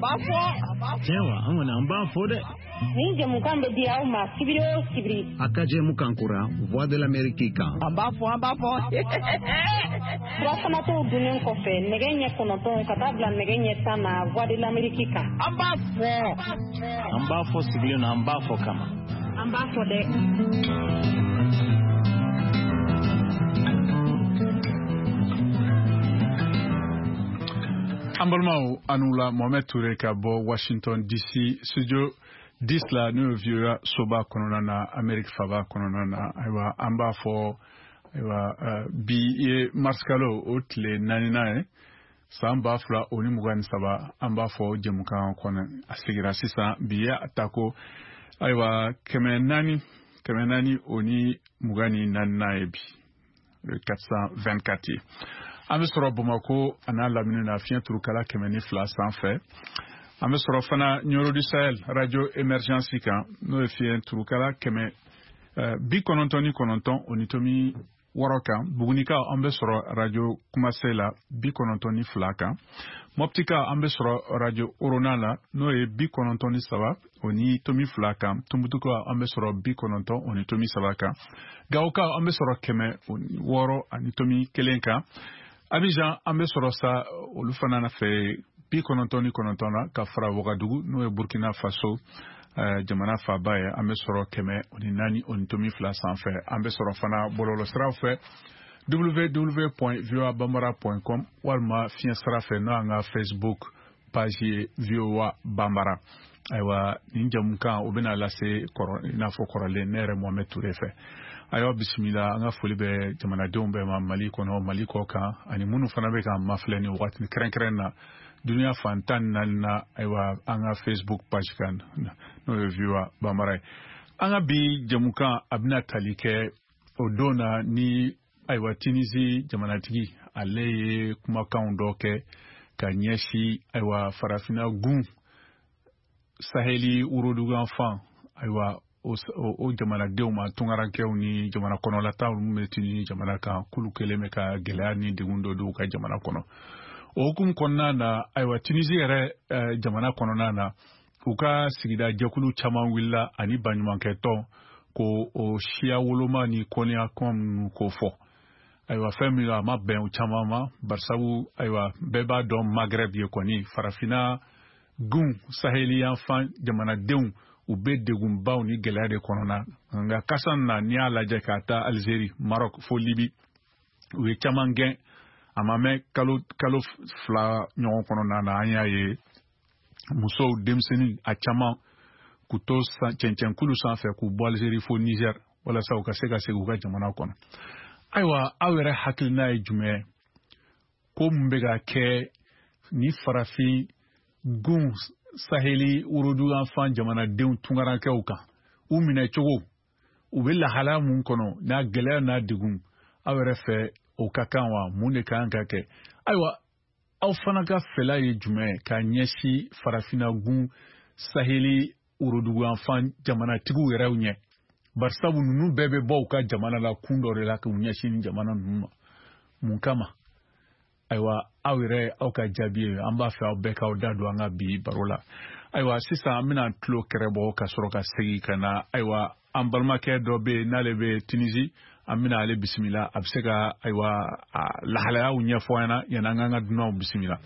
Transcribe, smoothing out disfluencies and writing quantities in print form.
b'a fɔ. Tiɲɛ wa, an kɔni an b'a fɔ dɛ. Nin jɛmukan bɛ di aw ma sibiri o sibiri. A ka jɛmukan kura Voix de l'Amérique kan. An b'a fɔ, an b'a fɔ. Surafanatɔw dunnen kɔfɛ nɛgɛ ɲɛ 9 ka taa bila nɛgɛ ɲɛ 10 na Voix de l'Amérique kan. An b'a fɔ. An b'a fɔ sigilen na, an b'a fɔ kama. An b'a fɔ dɛ. An balimaw, aw ni wula. Mohamed Toure ka bɔ Washington DC, studio 10 la, n'o ye VOA soba kɔnɔna na, Amérique faba kɔnɔna na. Ayiwa, an b'a fɔ, ayiwa, bi ye marisikalo o tile naaninan ye, san 2023. An b'a fɔ jɛmukan kɔnɔ a sigira sisan. Bi ye a ta ko, ayiwa, 424nan ye bi, le 424 ye. An bɛ sɔrɔ Bamako a n'a lamini na, fiɲɛ turukala 102 sanfɛ. An bɛ sɔrɔ fana Nioro du Sahel, radio Émergence kan, n'o ye fiɲɛ turukala 199.6 kan. Bugunikaw, an bɛ sɔrɔ radio Kumase la, 92 kan. Mɔptika, an bɛ sɔrɔ radio Orona la, n'o ye 93.2 kan. Tumutukaw, an bɛ sɔrɔ 90.3 kan. Gawokaw, an bɛ sɔrɔ 106.1 kan. Abidjan, an bɛ sɔrɔ sa olu fana fɛ, 99 na, ka fara Wagadugu, n'o ye Burkina Faso jamana faaba ye, an bɛ sɔrɔ 104.2 sanfɛ. An bɛ sɔrɔ fana bɔlɔlɔsiraw fɛ, www.voabambara.com, walima fiɲɛ sira fɛ, n'o y'an ka Facebook page ye, VOA Bambara. Ayiwa, nin jamukan o bɛna lase kɔrɔ i n'a fɔ kɔrɔlen, ne yɛrɛ Mohamed Toure fɛ. Ayiwa, bisimila. An ka foli bɛ jamanadenw bɛɛ ma, Mali kɔnɔ, Mali kɔ kan, ani minnu fana bɛ k'an mafilɛ nin waati kɛrɛnkɛrɛn na duniya fan 14 na. Ayiwa, an ka Facebook page kan, n'o ye VOA Bambara ye. An ka bi jamukan a bɛna tali kɛ o don na ni, ayiwa, Tunisie jamanatigi, ale ye kumakanw dɔ kɛ ka ɲɛsin, ayiwa, farafinna gun saheli woroduguyanfan, ayiwa, o jamanadenw ma, tunkarankɛw ni jamana kɔnɔlataw minnu bɛ Tunisie jamana kan, k'olu kɛlen bɛ ka gɛlɛya ni degun dɔ don u ka jamana kɔnɔ. O hukumu kɔnɔna na, ayiwa, Tunisie yɛrɛ jamana kɔnɔna na, u ka sigida jɛkulu caman wulila ani baɲumankɛtɔn ko o siya woloma ni kɔniya kuma minnu ko fɔ. Ayiwa, fɛn min a ma bɛn o caman ma, barisabu, ayiwa, bɛɛ b'a dɔn Maghreb ye kɔni, farafinna gun saheli yanfan jamanadenw, u bɛ degunbaw ni gɛlɛya de kɔnɔna. Nka kasa na, n'i y'a lajɛ ka taa Algérie, Maroc fo Libi, u ye caman gɛn. A ma mɛn kalo 2 ɲɔgɔn kɔnɔna na, an y'a ye musow, denmisɛnnin, a caman k'u to cɛncɛnkulu sanfɛ k'u bɔ Algérie fo Niger, walasa u ka se ka segin u ka jamana kɔnɔ. Ayiwa, aw yɛrɛ hakilina ye jumɛn ye ko mun bɛ ka kɛ ni farafin gun saheli woroduguyanfan jamanadenw tunkarankɛw kan, u minɛ cogo, u bɛ lahalaya mun kɔnɔ, n'a gɛlɛya n'a degun? Aw yɛrɛ fɛ, o ka kan wa? Mun de kan ka kɛ? Ayiwa, aw fana ka fɛla ye jumɛn ye ka ɲɛsin farafinna gun saheli woroduguyanfan jamanatigiw yɛrɛw ɲɛ? Barisabu ninnu bɛɛ bɛ bɔ u ka jamana la kun dɔ de la k'u ɲɛsin nin jamana ninnu ma, mun kama? Ayiwa, aw yɛrɛ, aw ka jaabi ye. An b'a fɛ aw bɛɛ k'aw da don an ka bi baro la. Ayiwa, sisan an bɛna tulo kɛrɛ bɔ ka sɔrɔ ka segin ka na. Ayiwa, an balimakɛ dɔ bɛ yen n'ale bɛ Tunisie, an bɛna ale bisimila, a bɛ se ka, ayiwa, a lahalayaw ɲɛfɔ an ɲɛna yanni an k'an ka dunanw bisimila.